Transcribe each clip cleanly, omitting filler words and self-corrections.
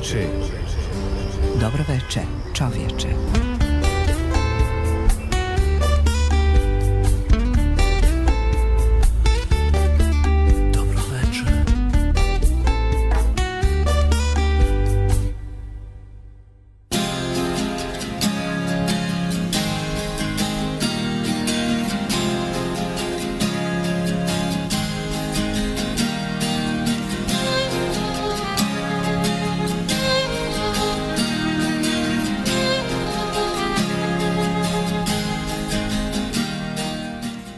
veče. Dobro veče, čovječe.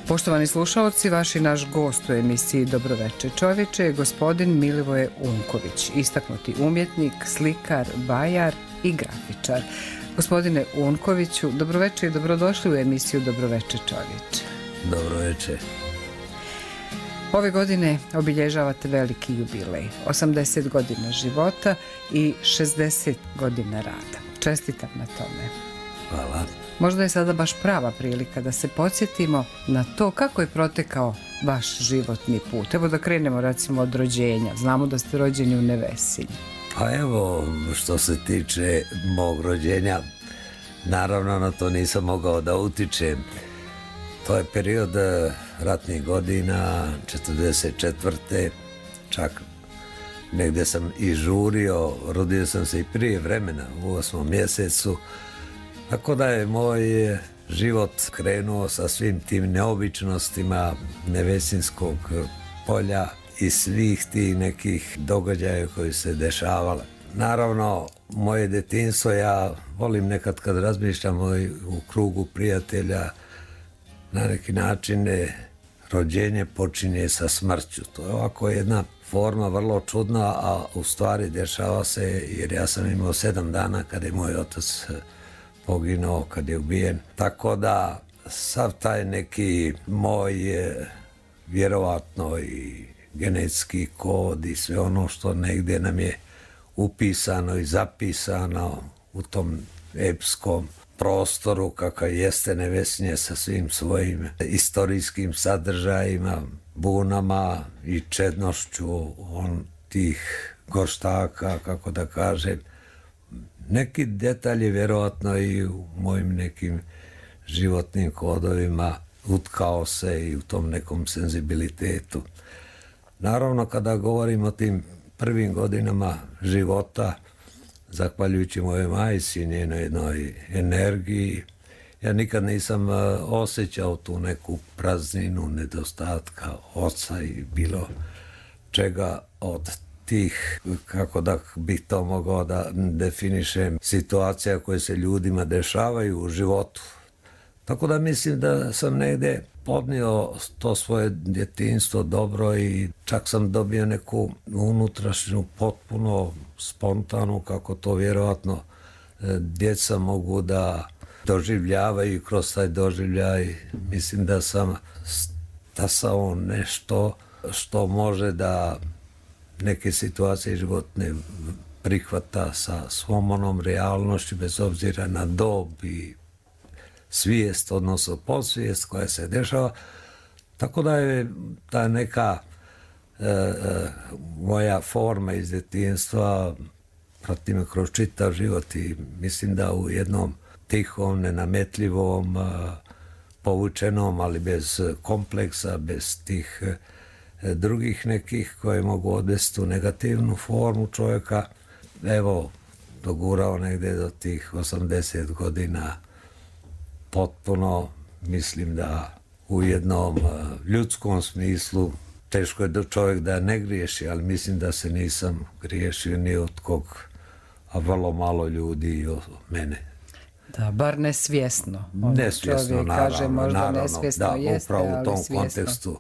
Poštovani slušalci, vaš i naš gost u emisiji Dobroveče čovječe je gospodin Milivoje Unković, istaknuti umjetnik, slikar, bajar i grafičar. Gospodine Unkoviću, dobroveče i dobrodošli u emisiju Dobroveče čovječe. Dobroveče. Ove godine obilježavate veliki jubilej, 80 godina života i 60 godina rada. Čestitam na tome. Hvala. Možda je sada baš prava prilika da se podsjetimo na to kako je protekao vaš životni put. Evo da krenemo recimo od rođenja. Znamo da ste rođeni u Nevesinju. Pa evo, što se tiče mog rođenja, naravno na to nisam mogao da utičem. To je period ratnih godina, 44. Čak negdje sam i žurio, rodio sam se i prije vremena, u 8. mjesecu. Tako da je moj život krenuo sa svim tim neobičnostima Nevesinskog polja i svih tih nekih događaja koji se dešavale. Naravno, moje detinjstvo, ja volim nekad kad razmišljam u krugu prijatelja, na neki način rođenje počinje sa smrću. To je ovako jedna forma vrlo čudna, a u stvari dešava se jer ja sam imao 7 dana kada je moj otac poginuo, kad je ubijen. Tako da sav taj neki moj vjerovatno i genetski kod i sve ono što negdje nam je upisano i zapisano u tom epskom prostoru kakav jeste Nevesinje sa svim svojim istorijskim sadržajima, bunama i čednošću tih gorštaka, kako da kažem. Neki detalji vjerojatno i u mojim nekim životnim kodovima utkao se i u tom nekom senzibilitetu. Naravno, kada govorim o tim prvim godinama života, zahvaljujući mojoj majci i njenoj jednoj energiji, ja nikad nisam osjećao tu neku prazninu, nedostatka oca i bilo čega od tih, kako da bih to mogao da definišem, situacija koje se ljudima dešavaju u životu. Tako da mislim da sam negdje podnio to svoje djetinjstvo dobro i čak sam dobio neku unutrašnju, potpuno spontanu, kako to vjerojatno djeca mogu da doživljavaju kroz taj doživljaj. Mislim da sam stasao nešto što može da neke situacije životne prihvata sa svom onom realnošću bez obzira na dob i svijest, odnosno podsvijest koja se dešava. Tako da je ta neka moja forma iz djetinjstva prati me kroz čitav život i mislim da u jednom tihom, nenametljivom, povučenom, ali bez kompleksa, bez tih drugih nekih koje mogu odvesti u negativnu formu čovjeka. Evo, dogurao negdje do tih 80 godina potpuno, mislim da u jednom ljudskom smislu teško je čovjek da ne griješi, ali mislim da se nisam griješio ni od kog, a vrlo malo ljudi i od mene. Da, bar nesvjesno. Nesvjesno, naravno, nesvjesno da, jeste, upravo u tom svjesno. kontekstu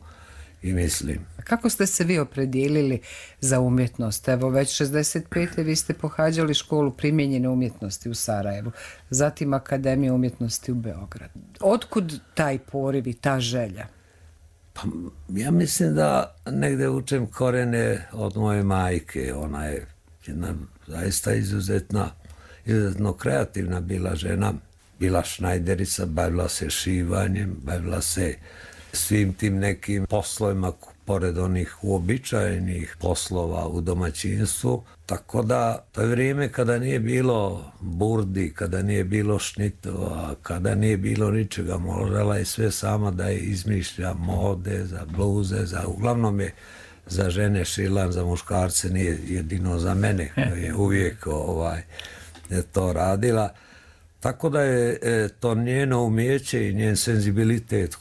i mislim. Kako ste se vi opredijelili za umjetnost? Evo, već 65. vi ste pohađali školu primijenjene umjetnosti u Sarajevu, zatim Akademiju umjetnosti u Beogradu. Otkud taj poriv i ta želja? Pa, ja mislim da negdje učem korene od moje majke. Ona je jedna zaista izuzetno kreativna bila žena. Bila šnajderica, bavila se šivanjem, bavila se svim tim nekim poslovima pored onih uobičajenih poslova u domaćinstvu. Tako da to je vrijeme kada nije bilo burdi, kada nije bilo šnitova, kada nije bilo ničega. Morala je sve sama da je izmišlja mode, za bluze, uglavnom je za žene šilan, za muškarce, nije jedino za mene koji je uvijek to radila. Tako da je to njeno umijeće i njen senzibilitet,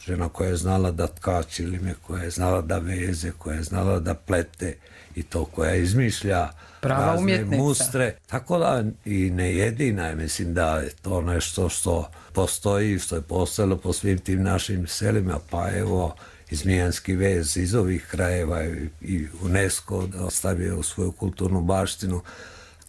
žena koja je znala da tka čilime, koja je znala da veze, koja je znala da plete i to koja izmišlja prava razne mustre. Tako da i ne jedina je, mislim da je to nešto što postoji, što je postojalo po svim tim našim selima, pa evo i Zmijanski vez iz ovih krajeva i UNESCO ostavio u svoju kulturnu baštinu.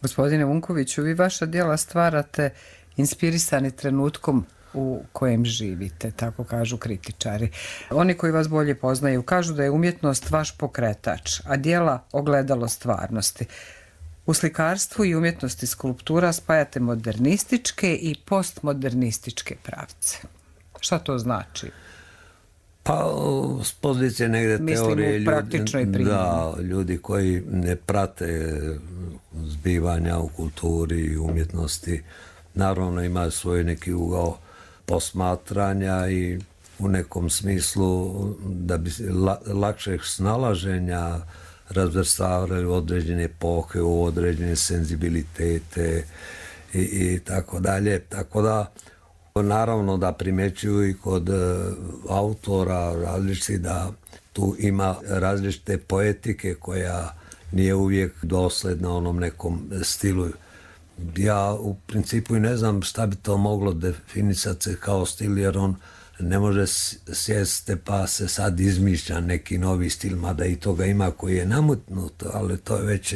Gospodine Unkoviću, vi vaša djela stvarate inspirisani trenutkom u kojem živite, tako kažu kritičari. Oni koji vas bolje poznaju kažu da je umjetnost vaš pokretač, a djela ogledalo stvarnosti. U slikarstvu i umjetnosti skulptura spajate modernističke i postmodernističke pravce. Šta to znači? Pa, s pozicije negdje teorije ljudi koji ne prate zbivanja u kulturi i umjetnosti, naravno imaju svoj neki ugao posmatranja i u nekom smislu da bi lakšeg snalaženja razvrstavali određene epohe, u određene senzibilitete i tako dalje. Tako da naravno da primjećuju i kod autora različiti da tu ima različite poetike koja nije uvijek dosljedna onom nekom stilu. Ja u principu i ne znam šta bi to moglo definisati se kao stil, jer on ne može sjeste pa se sad izmišlja neki novi stil, mada i toga ima koji je namutnut, ali to je već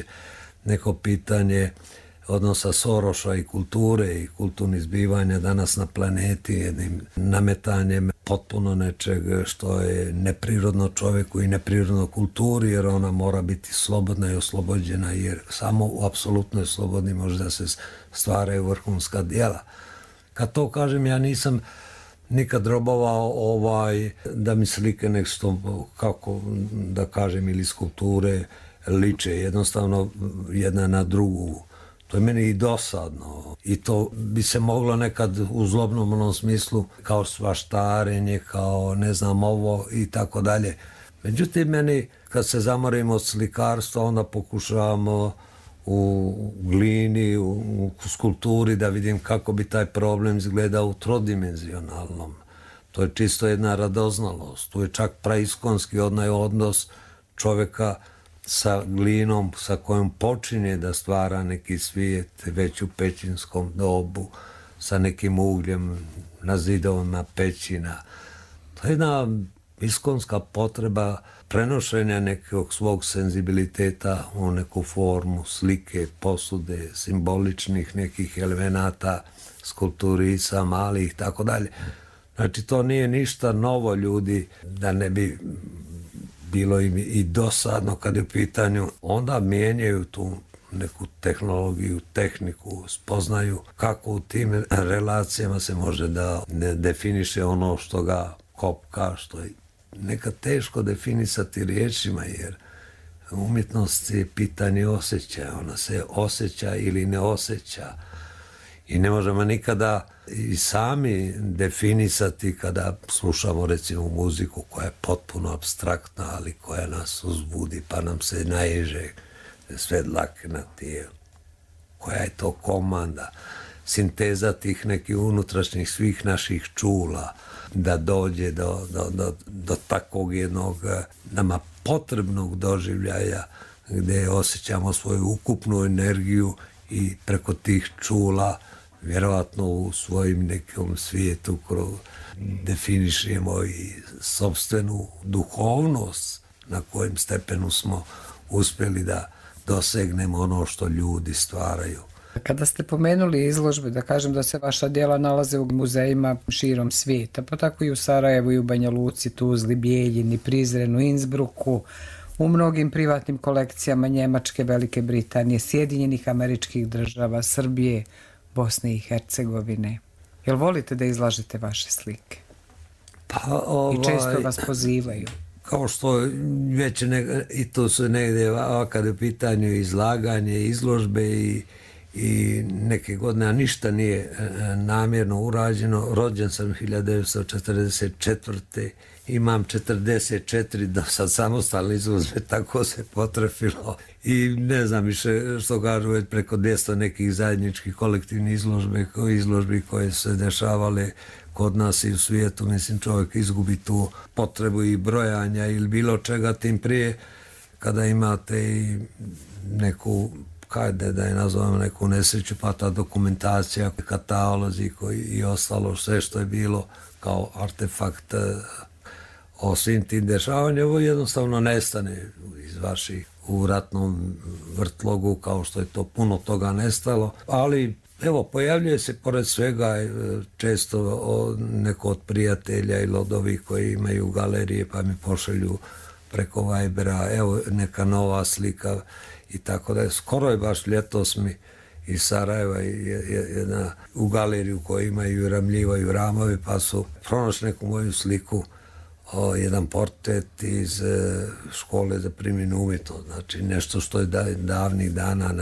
neko pitanje odnosa Soroša i kulture i kulturnih zbivanja danas na planeti, jednim nametanjem potpuno nečeg što je neprirodno čovjeku i neprirodno kulturi, jer ona mora biti slobodna i oslobođena, jer samo u apsolutnoj slobodi može da se stvaraju vrhunska djela. Kad to kažem, ja nisam nikad robovao da mi slike nešto, kako da kažem, ili skulpture liče jednostavno jedna na drugu. To je meni i dosadno i to bi se moglo nekad u zlobnom onom smislu kao svaštarenje, kao ne znam ovo i tako dalje. Međutim, meni kad se zamorimo od slikarstva, onda pokušavamo u glini, u skulpturi da vidim kako bi taj problem izgledao u trodimenzionalnom. To je čisto jedna radoznalost. Tu je čak praiskonski onaj odnos čovjeka sa glinom sa kojom počinje da stvara neki svijet već u pećinskom dobu, sa nekim ugljem na zidovima pećina. To je jedna iskonska potreba prenošenja nekog svog senzibiliteta u neku formu slike, posude, simboličnih nekih elemenata, skulpturica, malih, tako dalje. Znači, to nije ništa novo, ljudi, da ne bi bilo im i dosadno kad je u pitanju, onda mijenjaju tu neku tehnologiju, tehniku, spoznaju kako u tim relacijama se može da ne definiše ono što ga kopka, što je nekad teško definisati riječima, jer umjetnost je pitanje osjećaja, ona se osjeća ili ne osjeća i ne možemo nikada i sami definisati kada slušamo recimo muziku koja je potpuno apstraktna, ali koja nas uzbudi pa nam se naježe sve dlake na tijelu. Koja je to komanda, sinteza tih nekih unutrašnjih svih naših čula da dođe do takvog jednog nama potrebnog doživljaja gdje osjećamo svoju ukupnu energiju i preko tih čula vjerovatno u svojim nekom svijetu definišemo i sopstvenu duhovnost na kojem stepenu smo uspjeli da dosegnemo ono što ljudi stvaraju. Kada ste pomenuli izložbe, da kažem da se vaša djela nalaze u muzejima širom svijeta, pa tako i u Sarajevu i u Banja Luci, Tuzli, Bijeljini, Prizrenu, Innsbrucku, u mnogim privatnim kolekcijama Njemačke, Velike Britanije, Sjedinjenih Američkih Država, Srbije, Bosne i Hercegovine. Jel volite da izlažete vaše slike? Pa, i često vas pozivaju. Kao što već i to su negdje kad je u pitanju izlaganje, izložbe i neke godine, a ništa nije namjerno urađeno. Rođen sam 1944. Imam 44 do sad samostalne izložbe, tako se potrefilo. I ne znam više što kažu, već preko 200 nekih zajedničkih kolektivnih izložbi koje se dešavale kod nas i u svijetu. Mislim, čovjek izgubi tu potrebu i brojanja ili bilo čega, tim prije kada imate i neku, kajde da je nazovemo, neku nesreću, pa ta dokumentacija, katalozi i ostalo, sve što je bilo kao artefakt o svim tim dešavanjima, ovo jednostavno nestane iz vaših u ratnom vrtlogu, kao što je to puno toga nestalo, ali evo, pojavljuje se pored svega često neko od prijatelja ili od ovih koji imaju galerije, pa mi pošalju preko Vibera, evo neka nova slika i tako da je. Skoro je baš ljetos mi iz Sarajeva jedna u galeriju koji imaju i ramljivaju ramove, pa su pronašli neku moju sliku, jedan portret iz škole za primjenu umjetnost, znači nešto što je davnih dana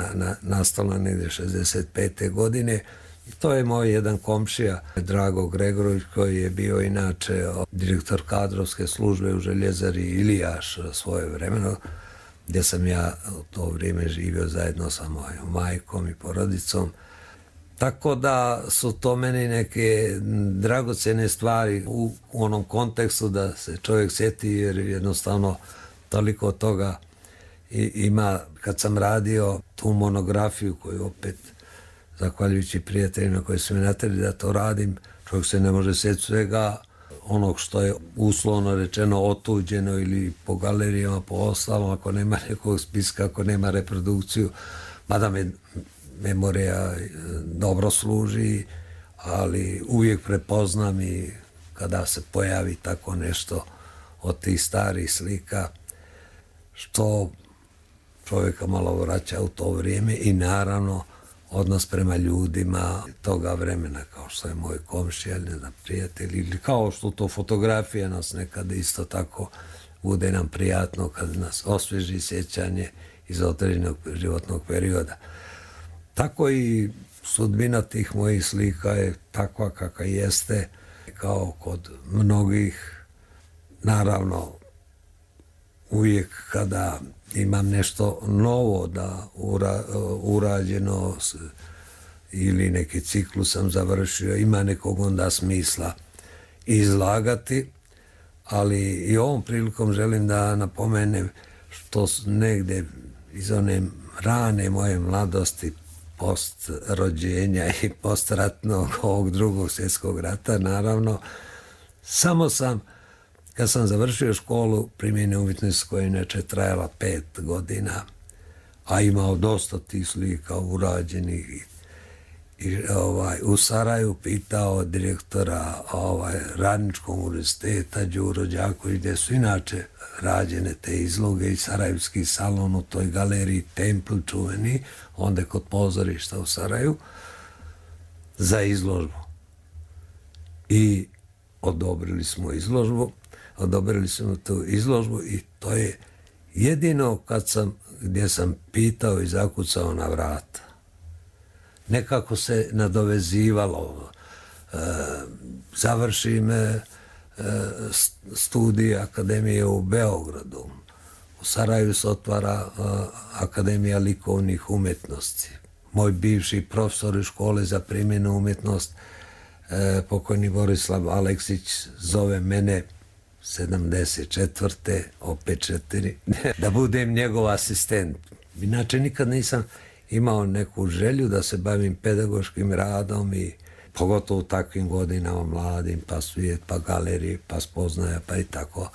nastalo negdje 65. godine. I to je moj jedan komšija, Drago Gregorović, koji je bio inače direktor kadrovske službe u Željezari Ilijaš svoje vremeno, gdje sam ja u to vrijeme živio zajedno sa mojom majkom i porodicom. Tako da su to meni neke dragocjene stvari u onom kontekstu da se čovjek sjeti, jer jednostavno toliko toga ima. Kad sam radio tu monografiju koju opet, zahvaljujući prijateljima koji su mi natjerali da to radim, čovjek se ne može sjetiti svega onog što je uslovno rečeno otuđeno ili po galerijama, po ostalom, ako nema nekog spiska, ako nema reprodukciju, mada me memorija dobro služi, ali uvijek prepoznam i kada se pojavi tako nešto od tih starih slika, što čovjeka malo vraća u to vrijeme i naravno odnos prema ljudima toga vremena, kao što je moj komšija, ne znam, prijatelj, ili kao što to fotografija nas nekada isto tako bude nam prijatno kad nas osvježi sjećanje iz određenog životnog perioda. Tako i sudbina tih mojih slika je takva kakva jeste, kao kod mnogih. Naravno, uvijek kada imam nešto novo da urađeno ili neki ciklus sam završio, ima nekog onda smisla izlagati, ali i ovom prilikom želim da napomenem što negdje iz one rane moje mladosti, post rođenja i postratnog ovog drugog svjetskog rata, naravno, samo sam, kad sam završio školu primjene umjetnosti koja je inače trajala 5 godina, a imao dosta tih slika urađenih i u Sarajevu, pitao direktora Radničkog univerziteta Đuro Đaković, gdje su inače rađene te izloge i Sarajevski salon u toj galeriji Templ čuveni, onda kod pozorišta u Sarajevu, za izložbu. I odobrili smo tu izložbu i to je jedino gdje sam pitao i zakucao na vrata. Nekako se nadovezivalo, završim studij akademije u Beogradu, u Sarajevu se otvara Akademija likovnih umjetnosti. Moj bivši profesor iz škole za primjenu umjetnost, pokojni Borislav Aleksić, zove mene 74. opet 4, da budem njegov asistent. Inače nikad nisam imao neku želju da se bavim pedagoškim radom i pogotovo u takvim godinama mladim, pa svijet, pa galerije, pa spoznaja, pa i tako.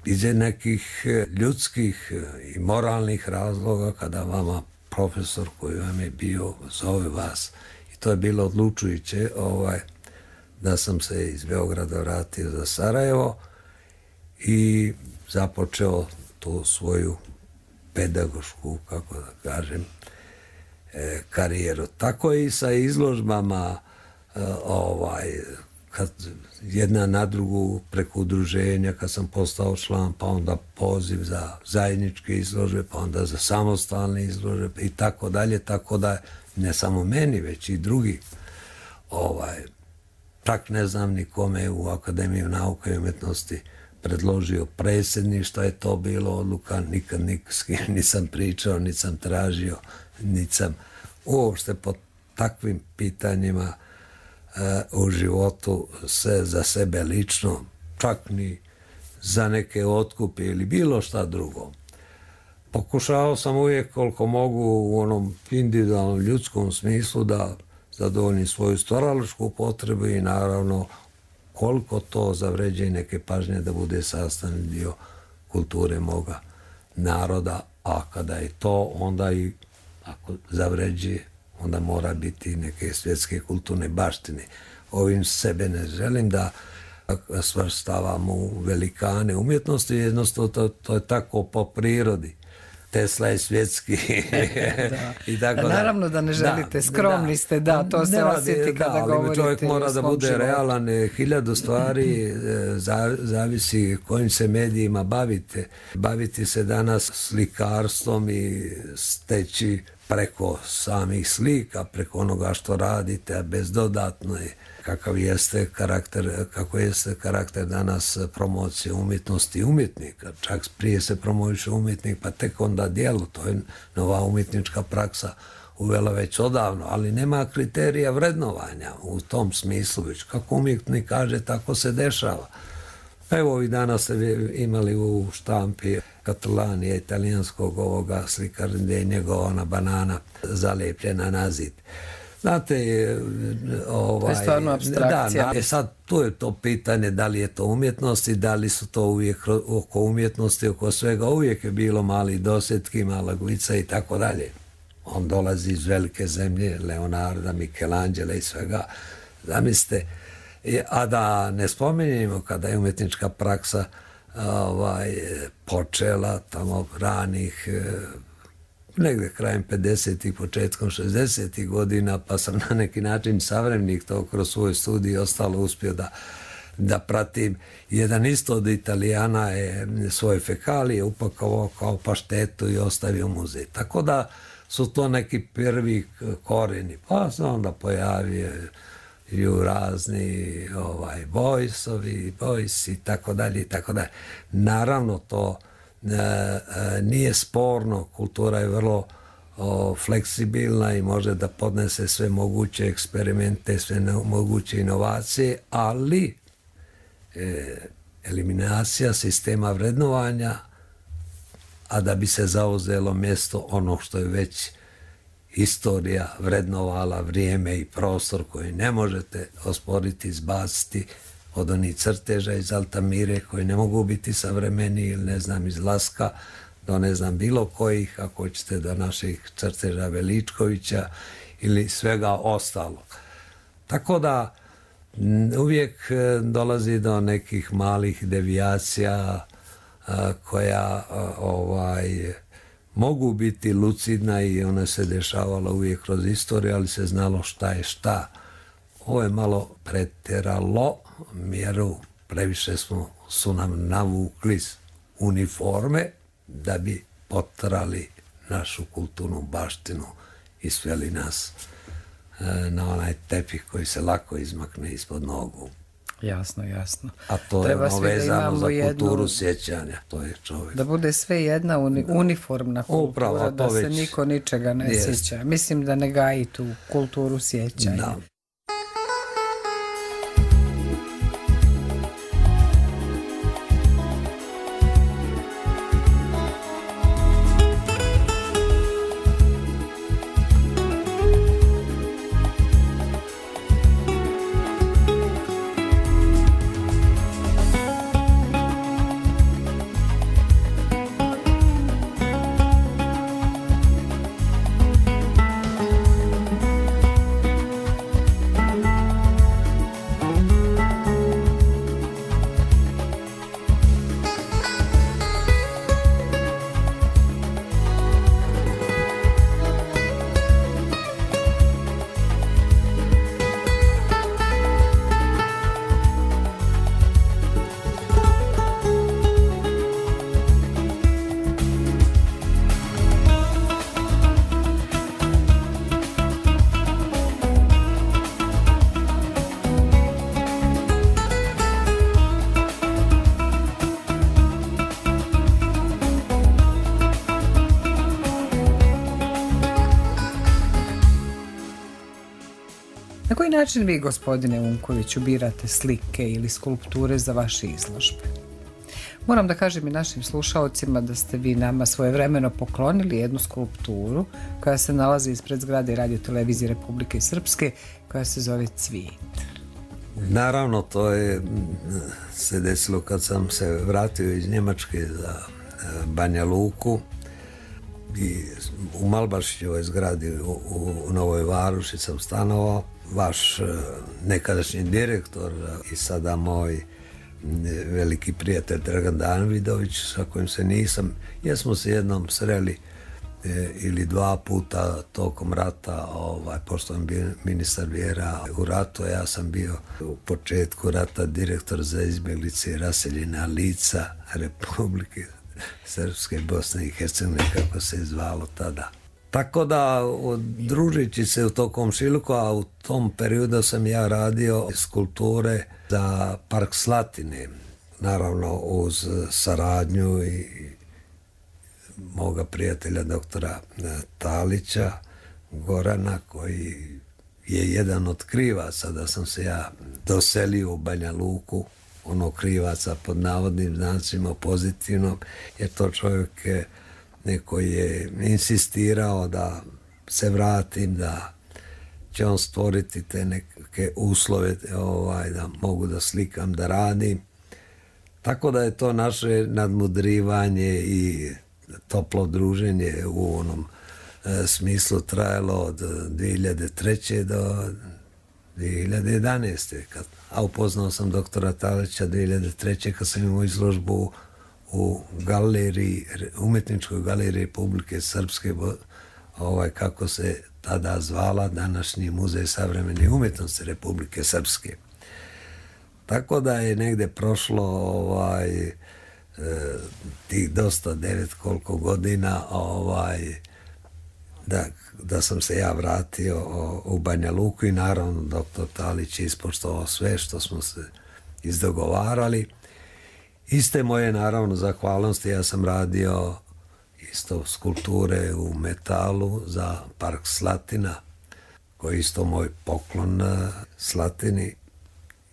Iz nekih ljudskih i moralnih razloga kada vama profesor koji vam je bio zove vas, i to je bilo odlučujuće, da sam se iz Beograda vratio za Sarajevo i započeo tu svoju pedagošku, kako da kažem, karijeru. Tako i sa izložbama kad jedna na drugu preko udruženja, kad sam postao član, pa onda poziv za zajedničke izložbe, pa onda za samostalne izložbe i tako dalje, tako da ne samo meni, već i drugi. Čak ne znam ni kome u Akademiju nauke i umjetnosti predložio predsjednik, što je to bilo odluka, nikad s kim nisam pričao, nisam tražio, nisam uopšte po takvim pitanjima u životu se za sebe lično, čak ni za neke otkupe ili bilo šta drugo. Pokušao sam uvijek koliko mogu u onom individualnom ljudskom smislu da zadovoljim svoju stvaralačku potrebu i naravno koliko to zavređe i neke pažnje da bude sastavni dio kulture moga naroda, a kada je to, onda i ako zavređe, onda mora biti neke svjetske kulturne baštine. Ovim sebe ne želim da svrstavam u velikane umjetnosti, jednostavno to je tako po prirodi. Tesla je svjetski. I tako naravno da ne želite, skromni ste, to se osjeti kada govorite. Čovjek mora da bude realan, 1000 stvari, zavisi kojim se medijima bavite. Baviti se danas slikarstvom i steći preko samih slika, preko onoga što radite, a bez dodatno je kako jeste karakter danas promocije umjetnosti i umjetnika. Čak prije se promoviše umjetnik, pa tek onda djelo. To je nova umjetnička praksa uvela već odavno, ali nema kriterija vrednovanja u tom smislu. Već kako umjetnik kaže, tako se dešava. Evo ovih dana ste imali u štampi Catalanije, italijanskog ovoga slikara, gdje je njegova banana zalijepljena na zid. Znate, to je stvarno apstrakcija. Sad tu je to pitanje da li je to umjetnost i da li su to uvijek oko umjetnosti, oko svega uvijek je bilo mali dosjetki, mala guica i tako dalje. On dolazi iz velike zemlje, Leonarda, Michelangela i svega. Zamislite, a da ne spominjemo kada je umjetnička praksa počela tamo ranih negdje krajem 50-ih, početkom 60-ih godina, pa sam na neki način savremenik to kroz svoj studij ostalo uspio da pratim. Jedan isto od Italijana je svoje fekalije upakovao kao paštetu i ostavio muzej. Tako da su to neki prvi korijeni. Pa se onda pojavio razni Boysi i tako dalje i tako dalje. Naravno to nije sporno, kultura je vrlo fleksibilna i može da podnese sve moguće eksperimente, sve moguće inovacije, ali eliminacija sistema vrednovanja, a da bi se zauzelo mjesto onog što je već istorija vrednovala, vrijeme i prostor koji ne možete osporiti, izbaciti od onih crteža iz Altamire koji ne mogu biti savremeni ili ne znam iz Laska do ne znam bilo kojih, ako hoćete do naših crteža Veličkovića ili svega ostalog. Tako da uvijek dolazi do nekih malih devijacija koja mogu biti lucidna i ona se dešavala uvijek kroz istoriju, ali se znalo šta je šta. Ovo je malo pretjeralo mjeru, previše su nam navukli uniforme da bi potrali našu kulturnu baštinu i sveli nas na onaj tepih koji se lako izmakne ispod nogu. Jasno. A to je vezano za kulturu sjećanja. To je čovjek. Da bude sve jedna uniformna kultura, upravo, da se niko ničega ne sjeća. Mislim da ne gaji tu kulturu sjećanja. Da. Na koji način vi, gospodine Unkoviću, birate slike ili skulpture za vaše izložbe? Moram da kažem i našim slušaocima da ste vi nama svojevremeno poklonili jednu skulpturu koja se nalazi ispred zgrade Radio televizije Republike Srpske, koja se zove Cvijet. Naravno, to je se desilo kad sam se vratio iz Njemačke za Banja Luku i u Malbašićevoj zgradi u Novoj Varoši sam stanovao. Vaš nekadašnji direktor i sada moj veliki prijatelj Dragan Danvidović, sa kojim se nisam, jesmo se jednom sreli ili dva puta tokom rata, pošto sam bio ministar vjera u ratu, ja sam bio u početku rata direktor za izbjeglice i raseljena lica Republike Srpske, Bosne i Hercegovine, kako se je zvalo tada. Tako da, družeći se u to komšiluku, a u tom periodu sam ja radio skulpture za Park Slatine, naravno uz saradnju i moga prijatelja doktora Talića, Gorana, koji je jedan od krivaca da sam se ja doselio u Banja Luku, ono krivaca pod navodnim znacima pozitivno, jer to čovjek neko je insistirao da se vratim, da će on stvoriti te neke uslove da mogu da slikam, da radim. Tako da je to naše nadmudrivanje i toplo druženje u onom smislu trajalo od 2003. do 2011. A upoznao sam doktora Talića 2003. kad sam imao izložbu u galeriji, umjetničkoj galeriji Republike Srpske, kako se tada zvala, današnji Muzej savremene umjetnosti Republike Srpske. Tako da je negde prošlo tih dosta 9 koliko godina da sam se ja vratio u Banja Luku i naravno doktor Talić je ispoštovao sve što smo se izdogovarali. Iste moje, naravno, zahvalnosti, ja sam radio isto skulpture u metalu za Park Slatina, koji je isto moj poklon Slatini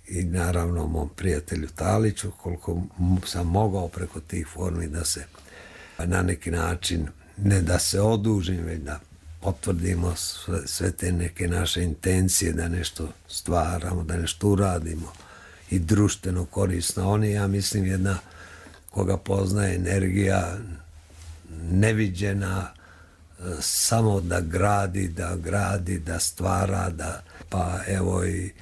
i naravno mom prijatelju Taliću, koliko sam mogao preko tih formi da se na neki način, ne da se odužim, već da potvrdimo sve te neke naše intencije, da nešto stvaramo, da nešto uradimo i društveno korisno. On je, ja mislim, jedna koga poznaje energija neviđena, samo da gradi, da stvara, pa evo i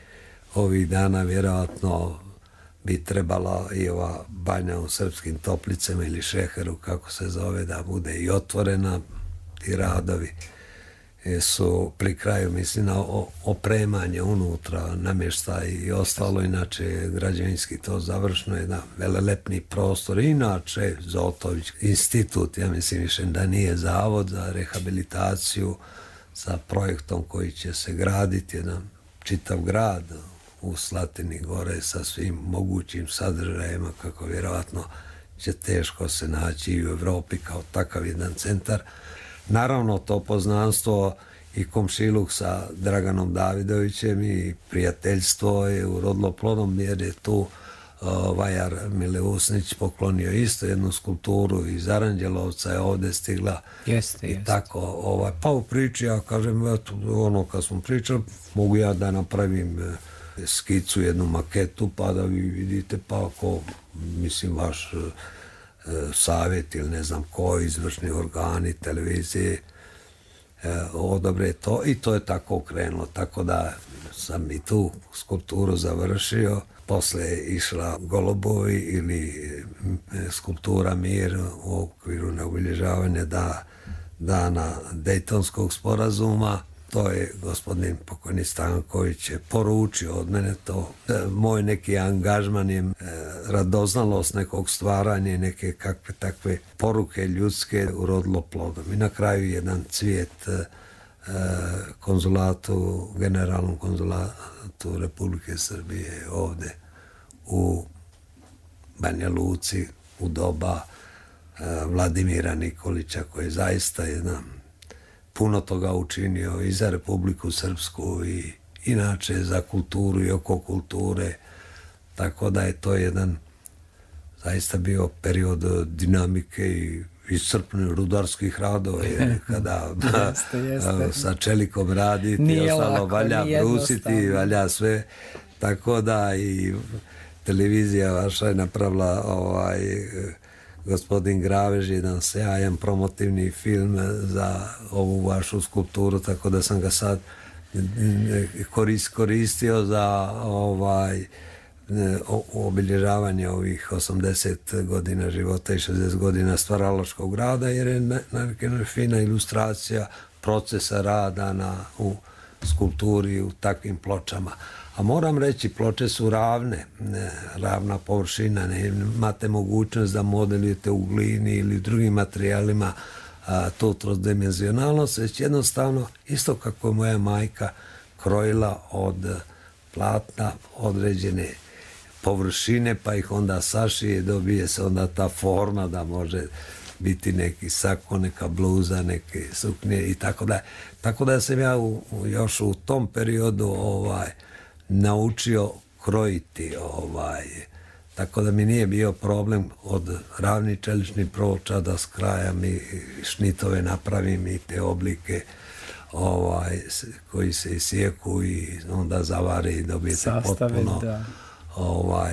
ovih dana vjerojatno bi trebala i ova banja u Srpskim Toplicama ili Šeheru, kako se zove, da bude i otvorena. Ti radovi su pri kraju, mislim, na opremanje unutra, namještaj i ostalo, inače građevinski to završeno, jedan velelepni prostor. Inače, Zotović institut, ja mislim više da nije zavod za rehabilitaciju sa projektom koji će se graditi, jedan čitav grad u Slatini gore sa svim mogućim sadržajima, kako vjerojatno će teško se naći i u Evropi kao takav jedan centar. Naravno, to poznanstvo i komšiluk sa Draganom Davidovićem i prijateljstvo je urodilo plodom, jer je tu vajar Mileusnić poklonio isto jednu skulpturu iz Aranđelovca, je ovdje stigla. Jeste. Tako, pa u priči, ja kažem, eto, kad smo pričali, mogu ja da napravim skicu, jednu maketu, pa da vi vidite, pa ako, mislim, vaš savjet ili ne znam ko, izvršni organi, televizije, odobre to i to je tako krenulo, tako da sam i tu skulpturu završio. Posle je išla Golubovi ili skulptura Mir u okviru neobilježavanja dana Dejtonskog sporazuma. To je gospodin pokojni Stanković je poručio od mene to. Moj neki angažman je radoznalost nekog stvaranja i neke kakve takve poruke ljudske urodilo plodom. I na kraju jedan cvijet konzulatu, generalnom konzulatu Republike Srbije ovde u Banja Luci u doba Vladimira Nikolića, koji je zaista jedan puno toga učinio i za Republiku Srpsku inače za kulturu i oko kulture, tako da je to jedan zaista bio period dinamike i iscrpnih rudarskih radova, jer kada sa čelikom raditi, nije ostalo lako, valja brusiti, valja sve, tako da i televizija vaša je napravila gospodin Gravež, jedan sjajan promotivni film za ovu vašu skulpturu, tako da sam ga sad koristio za obilježavanje ovih 80 godina života i 60 godina stvaralačkog rada, jer je fina ilustracija procesa rada u skulpturi u takvim pločama. A moram reći, ploče su ravna površina, ne imate mogućnost da modelujete u glini ili drugim materijalima tu trozdimenzionalnost, već jednostavno, isto kako je moja majka krojila od platna određene površine, pa ih onda sašije, dobije se onda ta forma da može biti neki sako, neka bluza, neke suknje i tako da. Tako da sam ja još u tom periodu naučio krojiti, tako da mi nije bio problem od ravnih čeličnih ploča da skrajam i šnitove napravim i te oblike koji se isijeku i onda zavari i dobijete potpuno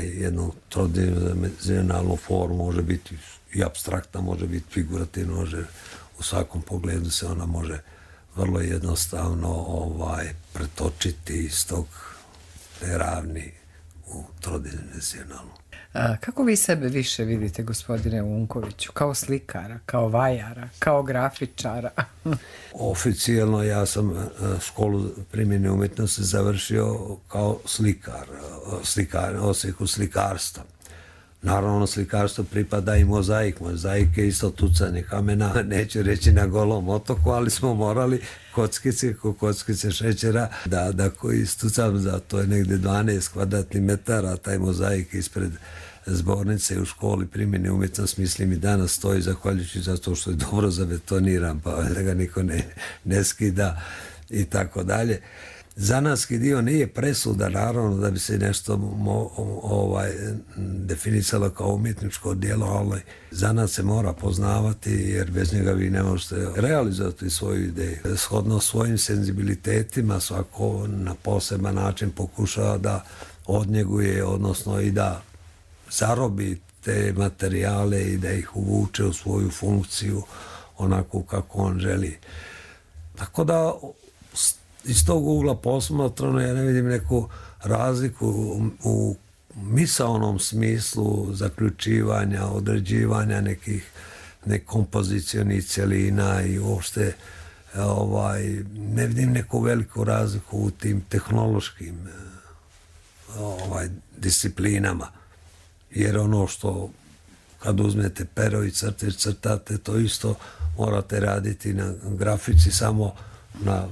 jednu trodimenzionalnu formu, može biti i apstraktna, može biti figurativna, može u svakom pogledu se ona može vrlo jednostavno pretočiti iz tog ravni u trodimenzionalnu. Kako vi sebe više vidite, gospodine Unkoviću? Kao slikara, kao vajara, kao grafičara? Oficijalno ja sam školu primjene umjetnosti završio kao slikar, odsjeku slikarstva. Naravno, slikarstvo pripada i mozaik. Mozaik je isto tucanje kamena, neću reći na Golom otoku, ali smo morali kockice šećera da koji istucam, za to je negdje 12 kvadratnih metara, taj mozaik ispred zbornice u školi primjene umjetnosti, mislim i danas stoji, zahvaljujući zato što je dobro zabetoniran, pa da ga niko ne skida i tako dalje. Zanatski dio nije presuda, naravno, da bi se nešto definisalo kao umjetničko djelo, ali zanat se mora poznavati, jer bez njega vi ne možete realizovati svoju ideju. Shodno svojim senzibilitetima svako na poseban način pokušava da odnjeguje, odnosno i da zarobi te materijale i da ih uvuče u svoju funkciju onako kako on želi. Tako da iz tog ugla posmatrano ja ne vidim neku razliku u misaonom smislu zaključivanja, određivanja nekih kompozicionih cjelina i uopšte ne vidim neku veliku razliku u tim tehnološkim disciplinama. Jer ono što kad uzmete pero i crtate, to isto morate raditi na grafici, samo na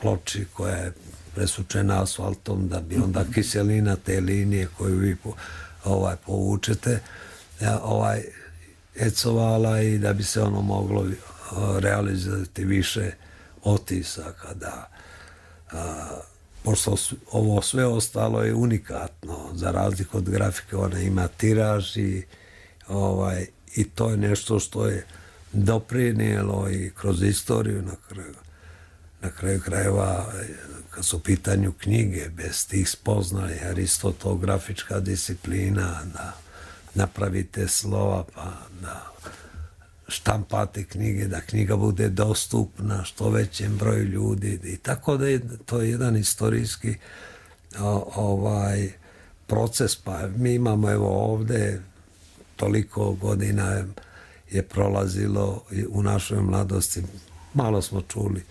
ploči koja je presučena asfaltom, da bi onda kiselina te linije koju vi povučete ecovala i da bi se ono moglo realizovati više otisaka. Pošto ovo sve ostalo je unikatno, za razliku od grafike, ona ima tiraž i to je nešto što je doprinijelo i kroz istoriju na kraju krajeva, kad su u pitanju knjige, bez tih spoznaja, jer isto to grafička disciplina, da napravite slova, pa da štampate knjige, da knjiga bude dostupna što većem broju ljudi, i tako da je to jedan istorijski proces. Pa mi imamo, evo ovdje, toliko godina je prolazilo u našoj mladosti, malo smo čuli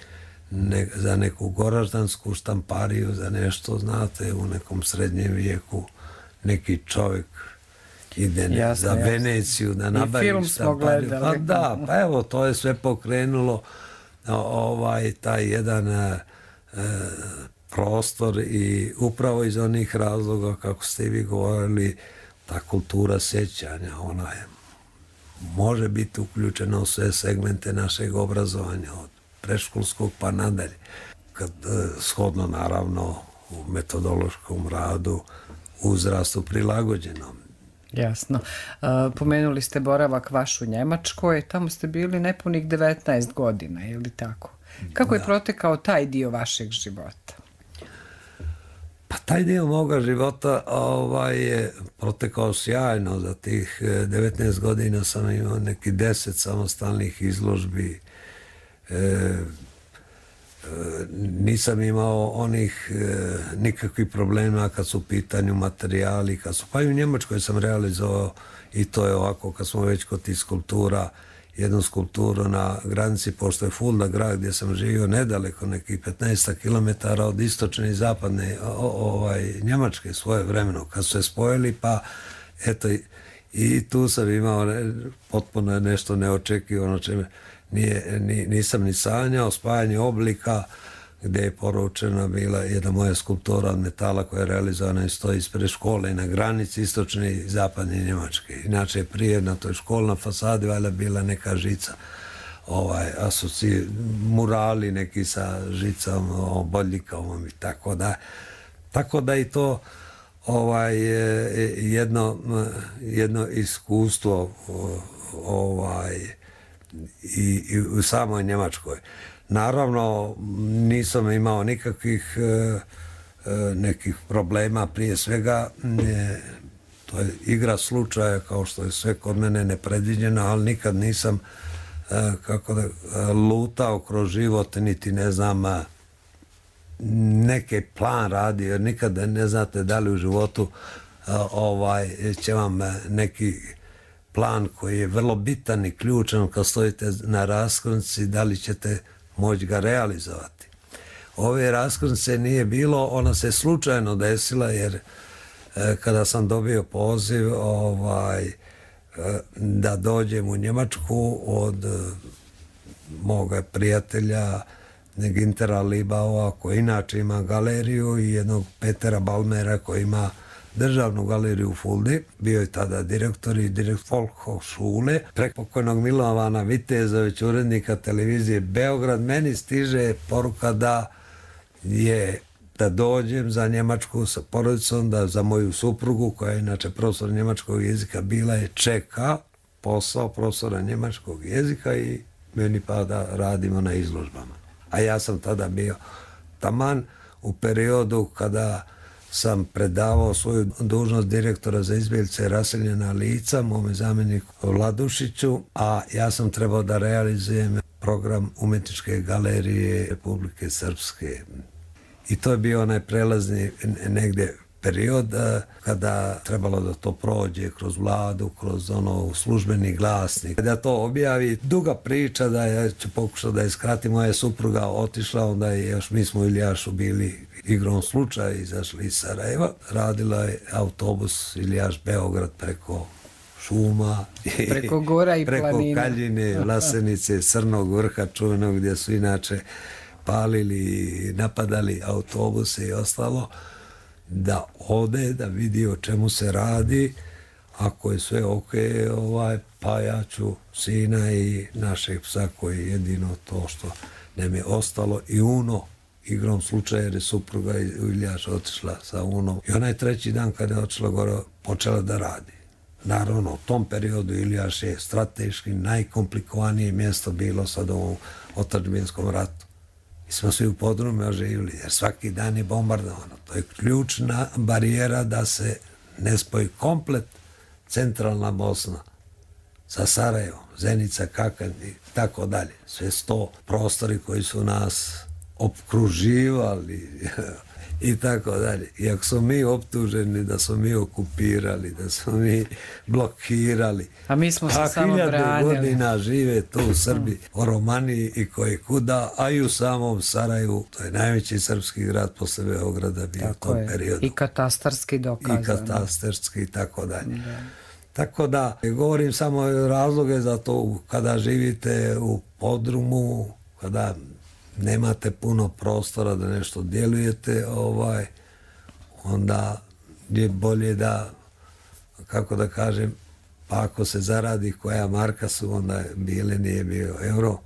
za neku goraždansku štampariju, za nešto, znate, u nekom srednjem vijeku neki čovjek ide za Veneciju da nabavi štampariju. Pa da, pa evo, to je sve pokrenulo taj jedan prostor i upravo iz onih razloga, kako ste i vi govorili, ta kultura sjećanja, ona je, može biti uključena u sve segmente našeg obrazovanja, od predškolskog pa nadalje. Kad shodno naravno u metodološkom radu, uzrastu prilagođenom. Jasno. Pomenuli ste boravak vaš u Njemačkoj, tamo ste bili nepunih 19 godina, je li tako? Kako je protekao taj dio vašeg života? Pa taj dio moga života je protekao sjajno. Za tih 19 godina sam imao neki 10 samostalnih izložbi. Nisam imao onih nikakvih problema kad su u pitanju materijali, pa i u Njemačkoj sam realizovao, i to je ovako, kad smo već kod tih skulptura, jednu skulpturu na granici, pošto je Fulda grad gdje sam živio nedaleko, nekih 15 km od istočne i zapadne Njemačke svoje vremeno, kad su se spojili, pa eto, i tu sam imao potpuno nešto neočekivano, čime nisam ni sanjao, spajanje oblika, gdje je poručena bila jedna moja skulptura od metala koja je realizovana i stoji ispred škole na granici istočne i zapadne Njemačke. Inače, prije na toj školnoj fasadi valjda bila neka žica, murali neki sa žicom, bodljikavom i tako da. Tako da i to jedno iskustvo i u samoj Njemačkoj. Naravno, nisam imao nikakvih nekih problema, prije svega to je igra slučaja, kao što je sve kod mene nepredviđeno, ali nikad nisam lutao kroz život, niti ne znam neki plan radio, jer nikad ne znate da li u životu će vam neki plan koji je vrlo bitan i ključan kad stojite na raskrsnici, da li ćete moći ga realizovati. Ove raskrsnice nije bilo, ona se slučajno desila, jer kada sam dobio poziv da dođem u Njemačku od moga prijatelja Gintera Libaua, koji inače ima galeriju, i jednog Petera Balmera koji ima državnu galeriju u Fuldi, bio je tada direktor Volkshochschule, preko pokojnog Milovana Vitezović, urednika televizije Beograd. Meni stiže poruka da dođem za Njemačku sa porodicom, da za moju suprugu, koja je inače profesor njemačkog jezika, bila je čeka posao profesora njemačkog jezika i meni pa da radimo na izložbama. A ja sam tada bio taman u periodu kada sam predavao svoju dužnost direktora za izbjeglice i raseljena lica mome zamjeniku Vladušiću, a ja sam trebao da realizujem program umjetničke galerije Republike Srpske. I to je bio onaj prelazni negdje period kada trebalo da to prođe kroz vladu, kroz službeni glasnik. Da to objavi, duga priča, da ja ću pokušati da je skratim, moja supruga otišla, onda je još, mi smo u Iljašu bili igrom slučaja, izašli iz Sarajeva, radila je autobus Iljaš-Beograd preko šuma, preko gora i preko planina, Kaljine, Vlasenice, Crnog vrha čuvenog, gdje su inače palili i napadali autobuse i ostalo, da ode, da vidi o čemu se radi. Ako je sve ok, pa ja ću sina i našeg psa, koji je jedino to što nam je ostalo, i Uno, igrom slučaja, jer je supruga u Iljaš otišla sa Unom. I onaj treći dan kada je otišla gore, počela da radi. Naravno, u tom periodu Iljaš je strateški najkomplikovanije mjesto bilo sad u otadžbinskom ratu. Mi smo svi u podrumima živjeli, jer svaki dan je bombardovano. To je ključna barijera da se ne spoji komplet centralna Bosna sa Sarajevom, Zenica, Kakan i tako dalje. Sve 100 prostori koji su nas opkruživali i tako dalje. Iako smo mi optuženi da smo mi okupirali, da smo mi blokirali. A mi smo se samo branili. 1000 godina žive tu u Srbiji, o Romaniji i koje kuda, a i u samom Sarajevu, to je najveći srpski grad posle Beograda bio u tom periodu. I katastarski dokazano. I katastarski i tako dalje. Tako da, govorim samo razloge za to, kada živite u podrumu, kada nemate puno prostora da nešto djelujete, onda je bolje da, kako da kažem, pa ako se zaradi koja marka su, onda bile, nije bio euro,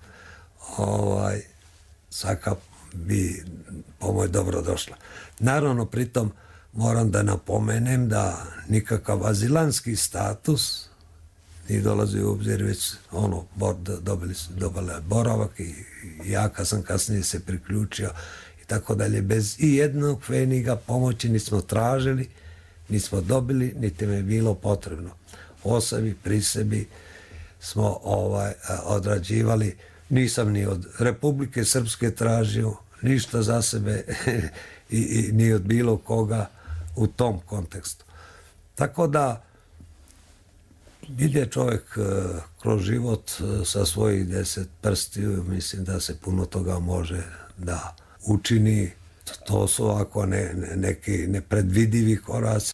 svaka bi pomoć dobro došla. Naravno, pritom moram da napomenem da nikakav azilanski status nije dolazi u obzir, već dobili boravak i ja kad sam kasnije se priključio i tako dalje. Bez i jednog pfeniga pomoći nismo tražili, nismo dobili, niti mi je bilo potrebno. O sebi, pri sebi smo odrađivali. Nisam ni od Republike Srpske tražio ništa za sebe i ni od bilo koga u tom kontekstu. Tako da ide čovjek kroz život sa svojih 10 prstiju, mislim da se puno toga može da učini. To su ovako neki nepredvidivi koraci.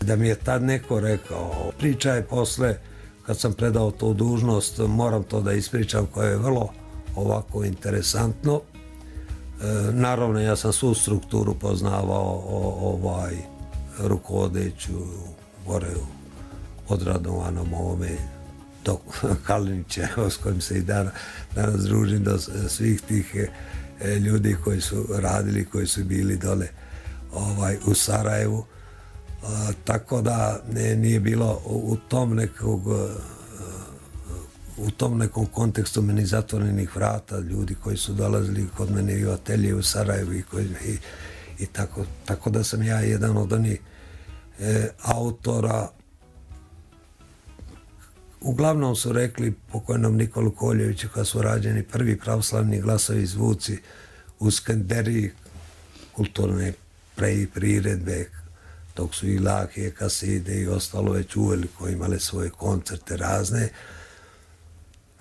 Da mi je tad neko rekao, priča je posle, kad sam predao tu dužnost, moram to da ispričam, koje je vrlo ovako interesantno. Naravno, ja sam svu strukturu poznavao rukovodeću gore u odradovanom ovome do Kalinića, s kojim se i danas družim, do svih tih ljudi koji su radili, koji su bili dole u Sarajevu. Tako da nije bilo u tom nekom kontekstu meni zatvorenih vrata, ljudi koji su dolazili kod mene i u atelje u Sarajevu i tako da sam ja jedan od onih autora. Uglavnom su rekli pokojnom Nikolu Koljeviću kad su rađeni prvi pravoslavni glasovi zvuci u Skenderiji, kulturne priredbe, dok su i Lakije, Kaside i ostalo već uveliko imale svoje koncerte razne.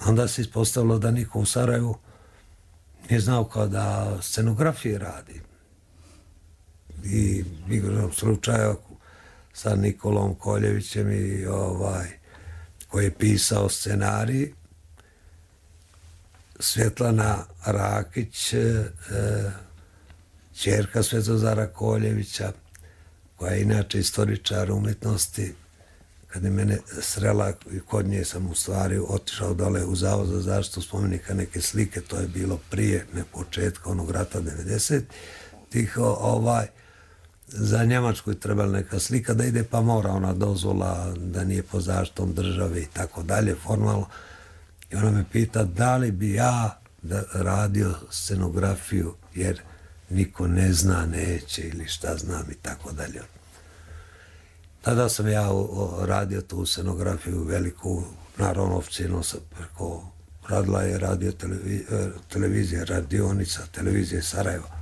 Onda se ispostavilo da niko u Sarajevu nije znao kao da scenografije radi. I igrom slučaja sa Nikolom Koljevićem koji je pisao scenarij, Svjetlana Rakić, ćerka Svetozara Koljevića, koja je inače istoričar umjetnosti, kad je mene srela, kod nje sam u stvari otišao dole u Zavod za zaštitu spomenika neke slike, to je bilo prije početka onog rata 90-ih, za Njemačku je trebala neka slika da ide, pa mora ona dozvola da nije po zaštitom države i tako dalje, formalno. I ona me pita da li bi ja radio scenografiju, jer niko ne zna, neće ili šta znam i tako dalje. Tada sam ja radio tu scenografiju veliku, naravno oficijalno radila je televizija, radionica, televizije Sarajeva,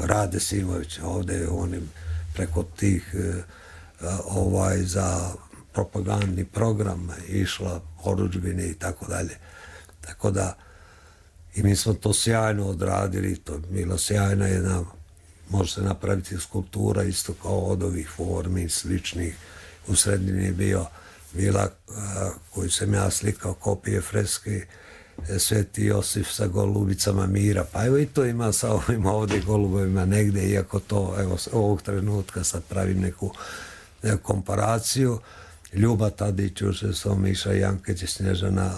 Rade Simović, ovdje onim preko tih za propagandni program išla porudžbine i tako dalje. Tako da i mi smo to sjajno odradili, to je bila sjajna jedna, može se napraviti skulptura isto kao od ovih formi sličnih. U sredini je bila koju sam ja slikao, kopije freske Sveti Josif sa golubicama mira, pa evo i to ima sa ovim ovdje golubovima negdje, iako to evo ovog trenutka sad pravim neku komparaciju. Ljuba Tadić, Miša Jankić, Snježana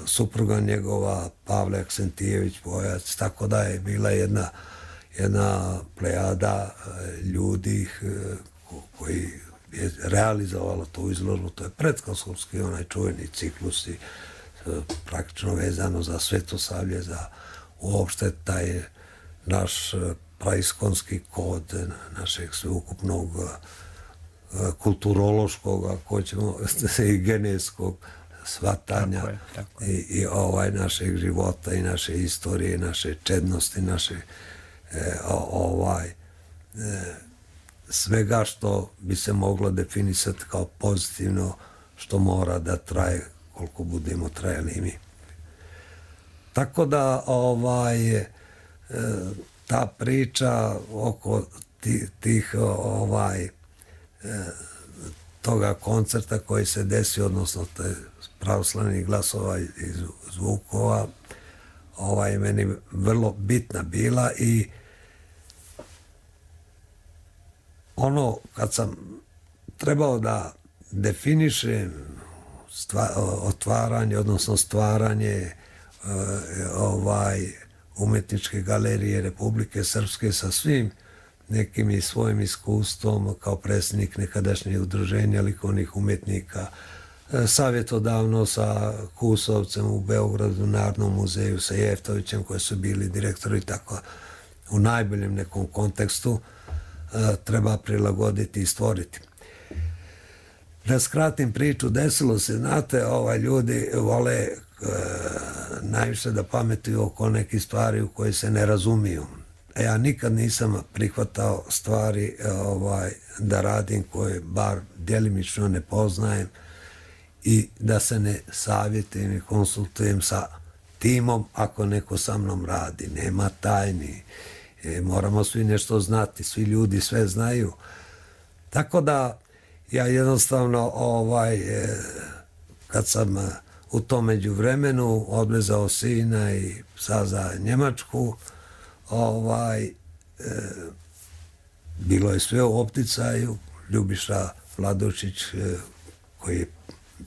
supruga njegova Pavle Aksentijević Pojac, tako da je bila jedna plejada ljudi koji je realizovalo tu izložbu. To je predkosovski onaj čuveni ciklus i praktično vezano za Svetosavlje, za uopšte taj naš praiskonski kod našeg sveukupnog kulturološkog, ako ćemo, i genetskog shvatanja i našeg života i naše istorije, naše čednosti, naše svega što bi se moglo definisati kao pozitivno, što mora da traje koliko budemo trajali i mi. Tako da ta priča oko tih toga koncerta koji se desio, odnosno pravoslavnih glasova iz zvukova, meni vrlo bitna bila i ono kad sam trebao da definišem otvaranje, odnosno stvaranje umetničke galerije Republike Srpske sa svim nekim i svojim iskustvom kao predsjednik nekadašnjeg udruženja likovnih umetnika, savjetodavno sa Kusovcem u Beogradu, Narodnom muzeju, sa Jeftovićem koji su bili direktori, tako u najboljem nekom kontekstu treba prilagoditi i stvoriti. Da skratim priču, desilo se, znate, ljudi vole najviše da pametuju oko nekih stvari u koje se ne razumiju. Ja nikad nisam prihvatao stvari da radim koje bar djelimično ne poznajem i da se ne savjetujem i konsultujem sa timom ako neko sa mnom radi. Nema tajni. Moramo svi nešto znati. Svi ljudi sve znaju. Tako da ja jednostavno kad sam u tom međuvremenu odvezao sina i psa za Njemačku, bilo je sve u opticaju. Ljubiša Vladušić, koji je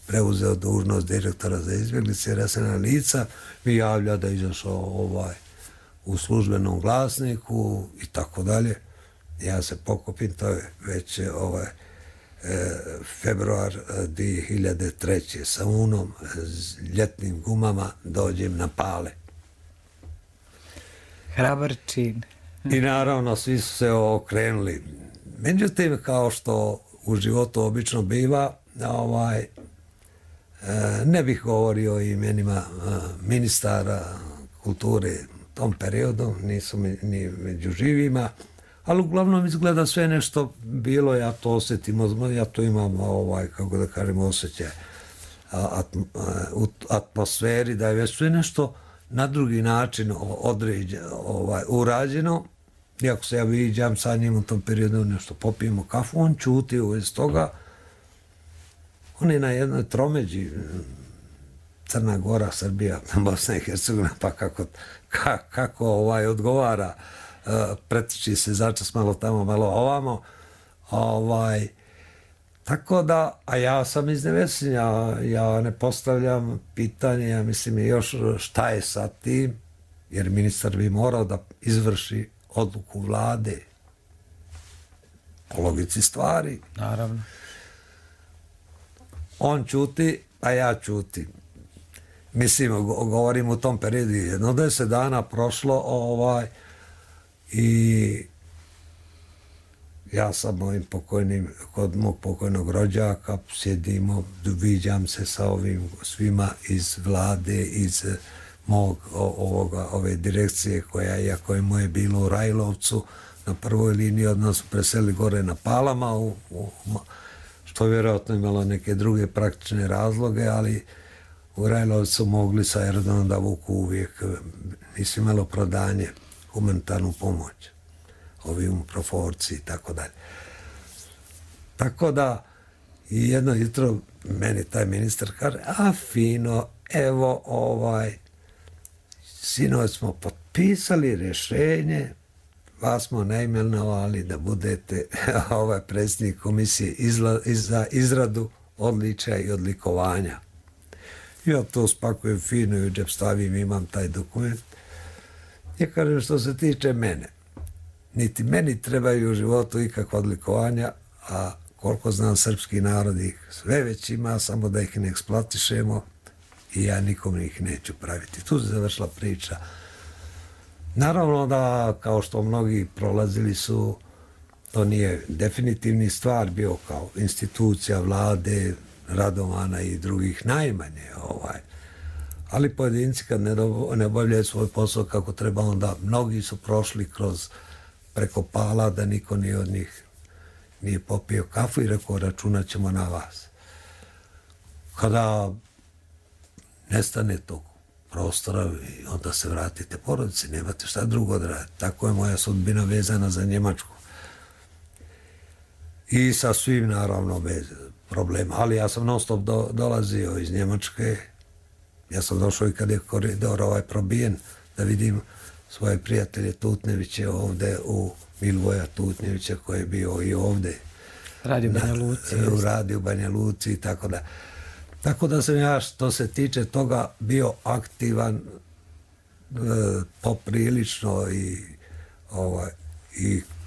preuzeo dužnost direktora za izbjeglice i raseljena lica, mi javlja da je izašao u službenom glasniku i tako dalje. Ja se pokupim, to je već februar 2003. sa unom ljetnim gumama dođem na Pale. Hrabar čin. I naravno svi su se okrenuli. Međutim, kao što u životu obično biva, ne bih govorio o imenima ministara kulture u tom periodu, nisu ni među živima, ali uglavnom izgleda sve nešto bilo, ja to osjetim, ja to imam, kako da kažem, osjećaj u atmosferi, da je već sve nešto na drugi način urađeno. Iako se ja viđam sa njim u tom periodu, nešto popijemo kafu, on čuti u vezi toga. On je na jednoj tromeđi, Crna Gora, Srbija, Bosna i Hercegovina, pa kako odgovara, pretiči se začas malo tamo, malo ovamo. Tako da, a ja sam iz Nevesinja, ja ne postavljam pitanje, ja mislim još šta je sa tim, jer ministar bi morao da izvrši odluku vlade po logici stvari. Naravno. On ćuti, a ja ćutim. Mislim, govorim u tom periodu, 10 dana prošlo i ja sam kod mog pokojnog rođaka, sjedimo, viđam se sa ovim svima iz vlade, iz ove direkcije koja, iako je moje bilo u Rajlovcu, na prvoj liniji od nas preseli gore na Palama, što vjerojatno imalo neke druge praktične razloge, ali u Rajlovcu mogli sa aerodromom da vuku uvijek, nisu imalo prodanje, humanitarnu pomoć, ovi proforci i tako dalje. Tako da, i jedno jutro meni taj ministar kaže, a fino, evo sinoć smo potpisali rješenje, vas smo naimenovali da budete predsjednik komisije za izradu odličja i odlikovanja. Ja to spakujem fino i u džep stavim, imam taj dokument. Ja kažem, što se tiče mene, niti meni trebaju u životu ikakva odlikovanja, a koliko znam, srpski narod ih sve već ima, samo da ih ne eksploatišemo i ja nikom ih neću praviti. Tu se završila priča. Naravno da, kao što mnogi prolazili su, to nije definitivni stvar bio kao institucija vlade, Radovana i drugih najmanje. Ali pojedinci kad ne obavljaju svoj posao kako treba, onda mnogi su prošli kroz preko pala da niko nije od njih nije popio kafu i rekao, računat ćemo na vas. Kada nestane tog prostora, onda se vratite porodici, nemate šta drugo da radite. Tako je moja sudbina vezana za Njemačku. I sa svim, naravno, bez problema. Ali ja sam non stop dolazio iz Njemačke. Ja sam došao i kad je koridor probijen, da vidim svoje prijatelje Tutneviće ovde u Milivoja Tutnevića koji je bio i ovde. Radio Banja Luci. U Radio Banja Luci i tako da. Tako da sam ja, što se tiče toga, bio aktivan poprilično i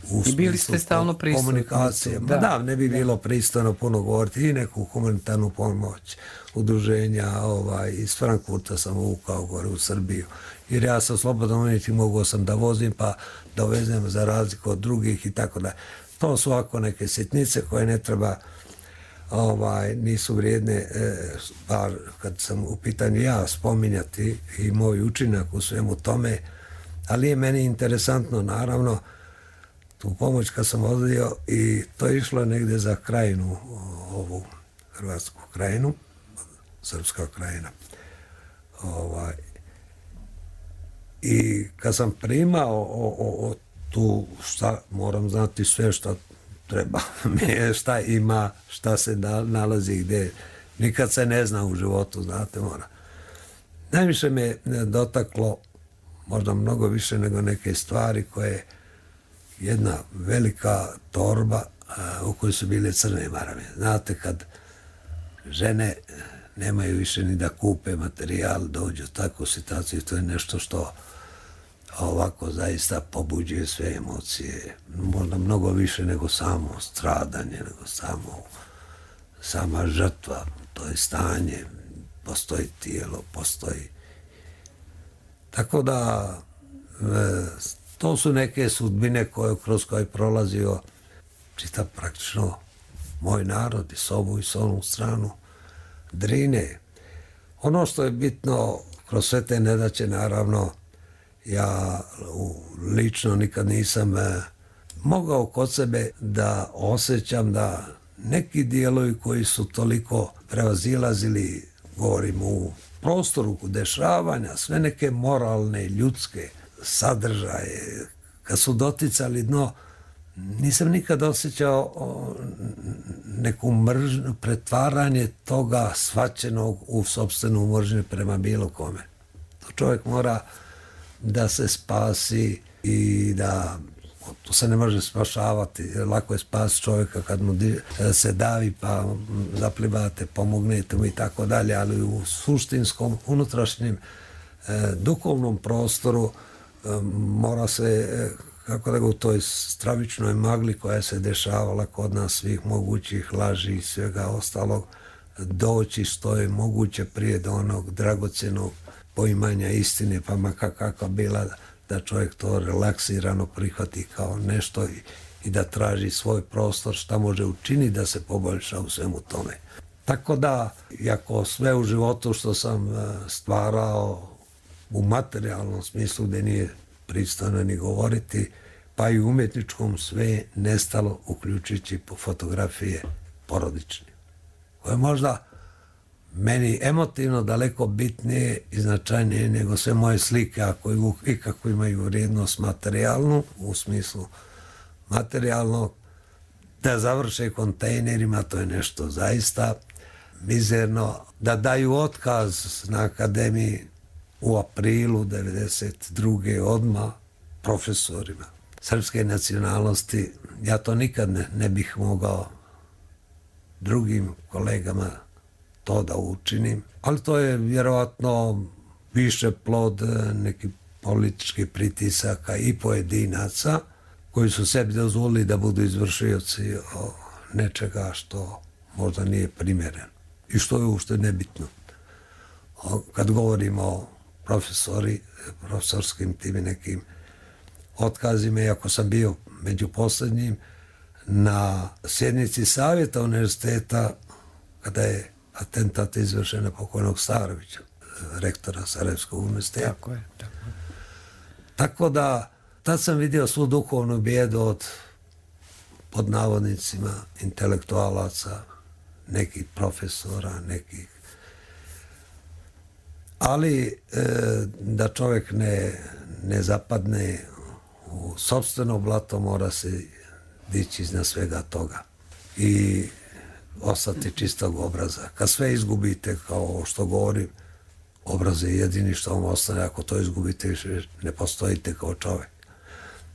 u I bili ste stalno prisutni. Komunikacije. Da, ne bi bilo pristojno puno govoriti i neku humanitarnu pomoć udruženja. Iz Frankfurta sam uvukao gore u Srbiju. Jer ja sam slobodan umjetnik, mogao sam da vozim pa da vezem za razliku od drugih i tako da. To su ovako neke sitnice koje ne treba, nisu vrijedne, bar kad sam u pitanju ja spominjati i moj učinak u svemu tome, ali je meni interesantno, naravno, tu pomoć kad sam vodio i to je išlo negde za krajinu, ovu hrvatsku krajinu, srpska krajina. I kad sam primao tu, šta, moram znati sve što treba, šta ima, šta se nalazi gde, nikad se ne zna u životu, znate, mora. Najviše me dotaklo, možda mnogo više nego neke stvari koje jedna velika torba u kojoj su bile crne marame. Znate, kad žene nemaju više ni da kupe materijal, dođu u takvu situaciju, to je nešto što ovako zaista pobuđuje sve emocije, možda mnogo više nego samo stradanje, nego sama žrtva, to je stanje, postoji tijelo, postoji. Tako da to su neke sudbine kroz koje je prolazio čitav praktično moj narod i s ovu i s onu stranu Drine. Ono što je bitno kroz sve te nedaće, naravno, ja lično nikad nisam mogao kod sebe da osjećam da neki dijelovi koji su toliko prevazilazili, govorim u prostoru dešavanja, sve neke moralne, ljudske sadržaje, kad su doticali dno, nisam nikad osjećao neku mržnju, pretvaranje toga shvaćenog u sopstvenu mržnju prema bilo kome. To čovjek mora da se spasi i da to se ne može spašavati. Lako je spasiti čovjeka kad mu se davi pa zaplivate, pomognete mu i tako dalje, ali u suštinskom, unutrašnjem, duhovnom prostoru mora se, kako da ga u toj stravičnoj magli koja se dešavala kod nas, svih mogućih laži i svega ostalog, doći što je moguće prije do onog dragocjenog poimanja istine, pa makar kakva bila, da čovjek to relaksirano prihvati kao nešto i da traži svoj prostor, šta može učiniti da se poboljša u svemu tome. Tako da, iako sve u životu što sam stvarao u materijalnom smislu, gdje nije pristojno ni govoriti, pa i u umjetničkom, sve nestalo, uključujući fotografije porodične, koje možda meni emotivno daleko bitnije i značajnije nego sve moje slike, ako ikako imaju vrijednost materijalnu, u smislu materijalnog, da završe kontejnerima, to je nešto zaista mizerno. Da daju otkaz na akademiji u aprilu 1992. odmah profesorima srpske nacionalnosti, ja to nikad ne bih mogao drugim kolegama to da učinim, ali to je vjerovatno više plod nekih političkih pritisaka i pojedinaca koji su sebi dozvolili da budu izvršioci nečega što možda nije primjereno i što je uopšte nebitno. Kad govorimo o profesorskim tim nekim otkazima, iako sam bio među posljednjim na sjednici savjeta univerziteta kada je atentat izvršen na pokojnog Starovića, rektora Sarajevskog univerziteta. Tako je. Tako da tad sam vidio svu duhovnu bijedu od, pod navodnicima, intelektualaca, nekih profesora, nekih. Ali da čovjek ne zapadne u sopstveno blato, mora se dići iznad svega toga i ostati čistog obraza. Kad sve izgubite, kao što govorim, obraz je jedini što vam ostane. Ako to izgubite, više ne postojite kao čovjek.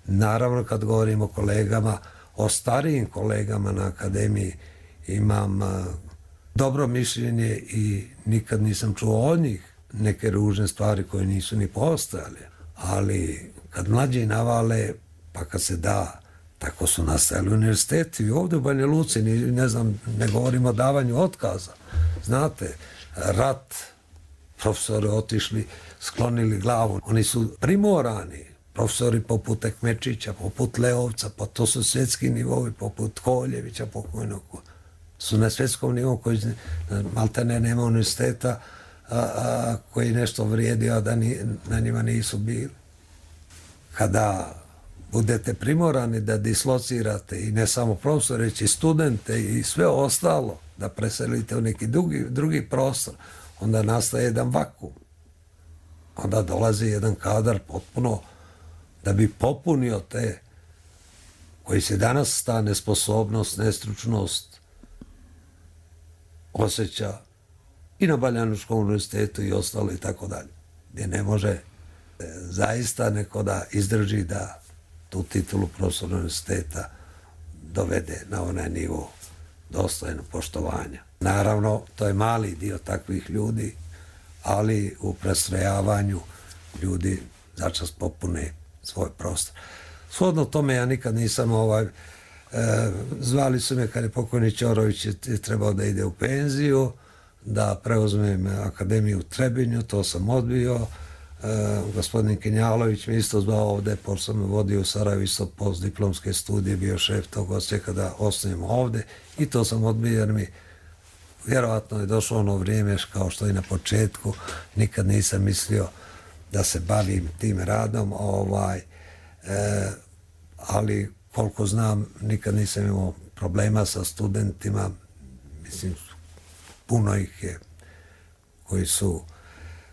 Naravno, kad govorim o kolegama, o starijim kolegama na akademiji, imam dobro mišljenje i nikad nisam čuo od njih neke ružne stvari koje nisu ni postojale. Ali kad mlađi navale, pa kad se da, tako su nastajali univerziteti i ovdje u Banja Luci, ne znam, ne govorimo o davanju otkaza. Znate, rat, profesori otišli, sklonili glavu. Oni su primorani, profesori poput Ekmečića, poput Leovca, pa to su svjetski nivovi, poput Koljevića pokojnog, su na svjetskom nivou koji maltene nema univerziteta koji nešto vrijedio, a da na njima nisu bili. Kada budete primorani da dislocirate i ne samo profesore, već i studente i sve ostalo, da preselite u neki drugi prostor, onda nastaje jedan vakuum. Onda dolazi jedan kadar potpuno da bi popunio te koji se danas ta nesposobnost, nestručnost osjeća i na Baljanuškom univerzitetu i ostalo i tako dalje. Gdje ne može zaista neko da izdrži da tu titulu profesora univerziteta dovede na onaj nivo dostojno poštovanja. Naravno, to je mali dio takvih ljudi, ali u prestrojavanju ljudi začas popune svoj prostor. Shodno tome ja nikad nisam zvali su me kad je pokojni Ćorović trebao da ide u penziju, da preuzmem akademiju u Trebinju, to sam odbio. Gospodin Kinjalović mi isto zvao ovdje, pošto sam vodio u Sarajevu isto postdiplomske studije, bio šef tog odsjeka da osnovimo ovdje i to sam odbio jer mi vjerovatno je došlo ono vrijeme kao što i na početku, nikad nisam mislio da se bavim tim radom, ali koliko znam nikad nisam imao problema sa studentima, mislim puno ih je koji su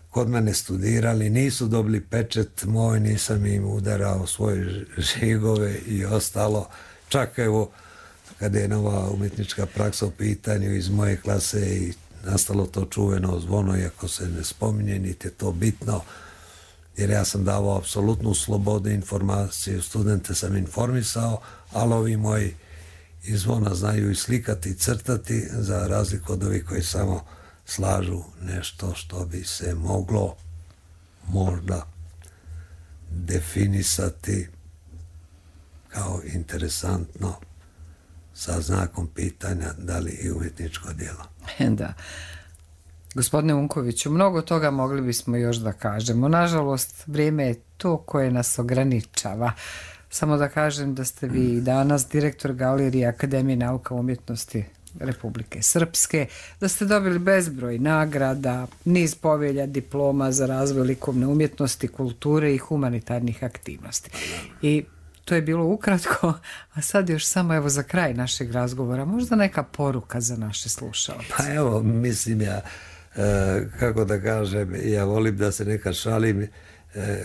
kod mene studirali, nisu dobili pečet moj, nisam im udarao svoje žigove i ostalo. Čak evo, kada je nova umjetnička praksa u pitanju iz moje klase i nastalo to čuveno zvono, iako se ne spominje, niti je to bitno, jer ja sam davao apsolutnu slobodu informaciju, studente sam informisao, ali ovi moji iz zvona znaju i slikati i crtati, za razliku od ovih koji samo slažu nešto što bi se moglo možda definisati kao interesantno sa znakom pitanja da li i umjetničko djelo. Da. Gospodine Unkoviću, mnogo toga mogli bismo još da kažemo. Nažalost, vrijeme je to koje nas ograničava. Samo da kažem da ste vi danas direktor Galerije Akademije nauka i umjetnosti Republike Srpske, da ste dobili bezbroj nagrada, niz povelja, diploma za razvoj likovne umjetnosti, kulture i humanitarnih aktivnosti. I to je bilo ukratko, a sad još samo evo za kraj našeg razgovora, možda neka poruka za naše slušalce. Pa evo, mislim ja, kako da kažem, ja volim da se nekad šalim,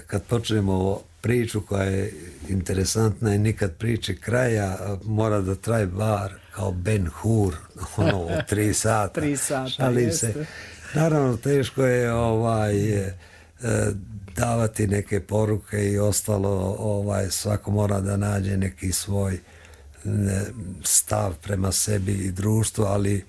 kad počnemo priču koja je interesantna i nikad priče kraja, mora da traje bar kao Ben Hur, ono, 3 sata. 3 sata, šalim jeste. se. Naravno, teško je davati neke poruke i ostalo, svako mora da nađe neki svoj stav prema sebi i društvu, ali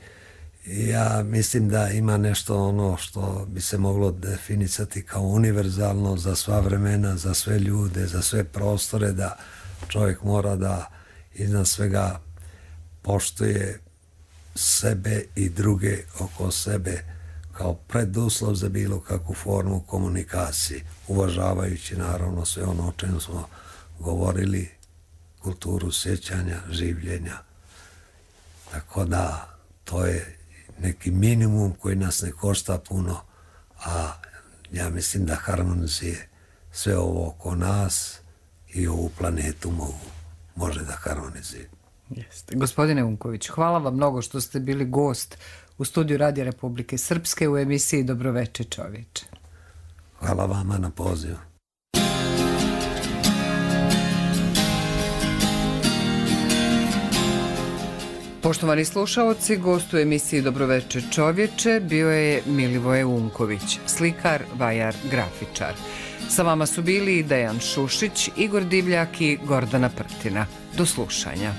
Ja mislim da ima nešto ono što bi se moglo definicati kao univerzalno za sva vremena, za sve ljude, za sve prostore, da čovjek mora da iznad svega poštuje sebe i druge oko sebe kao preduslov za bilo kakvu formu komunikacije, uvažavajući naravno sve ono o čemu smo govorili, kulturu sjećanja, življenja. Tako da to je neki minimum koji nas ne košta puno, a ja mislim da harmonizuje sve ovo oko nas i ovu planetu može da harmonizuje. Jeste. Gospodine Unković, hvala vam mnogo što ste bili gost u studiju Radija Republike Srpske u emisiji Dobroveče čovječe. Hvala vama na pozivu. Poštovani slušaoci, gost u emisiji Dobroveče čovječe bio je Milivoje Unković, slikar, vajar, grafičar. Sa vama su bili Dejan Šušić, Igor Divljak i Gordana Prtina. Do slušanja.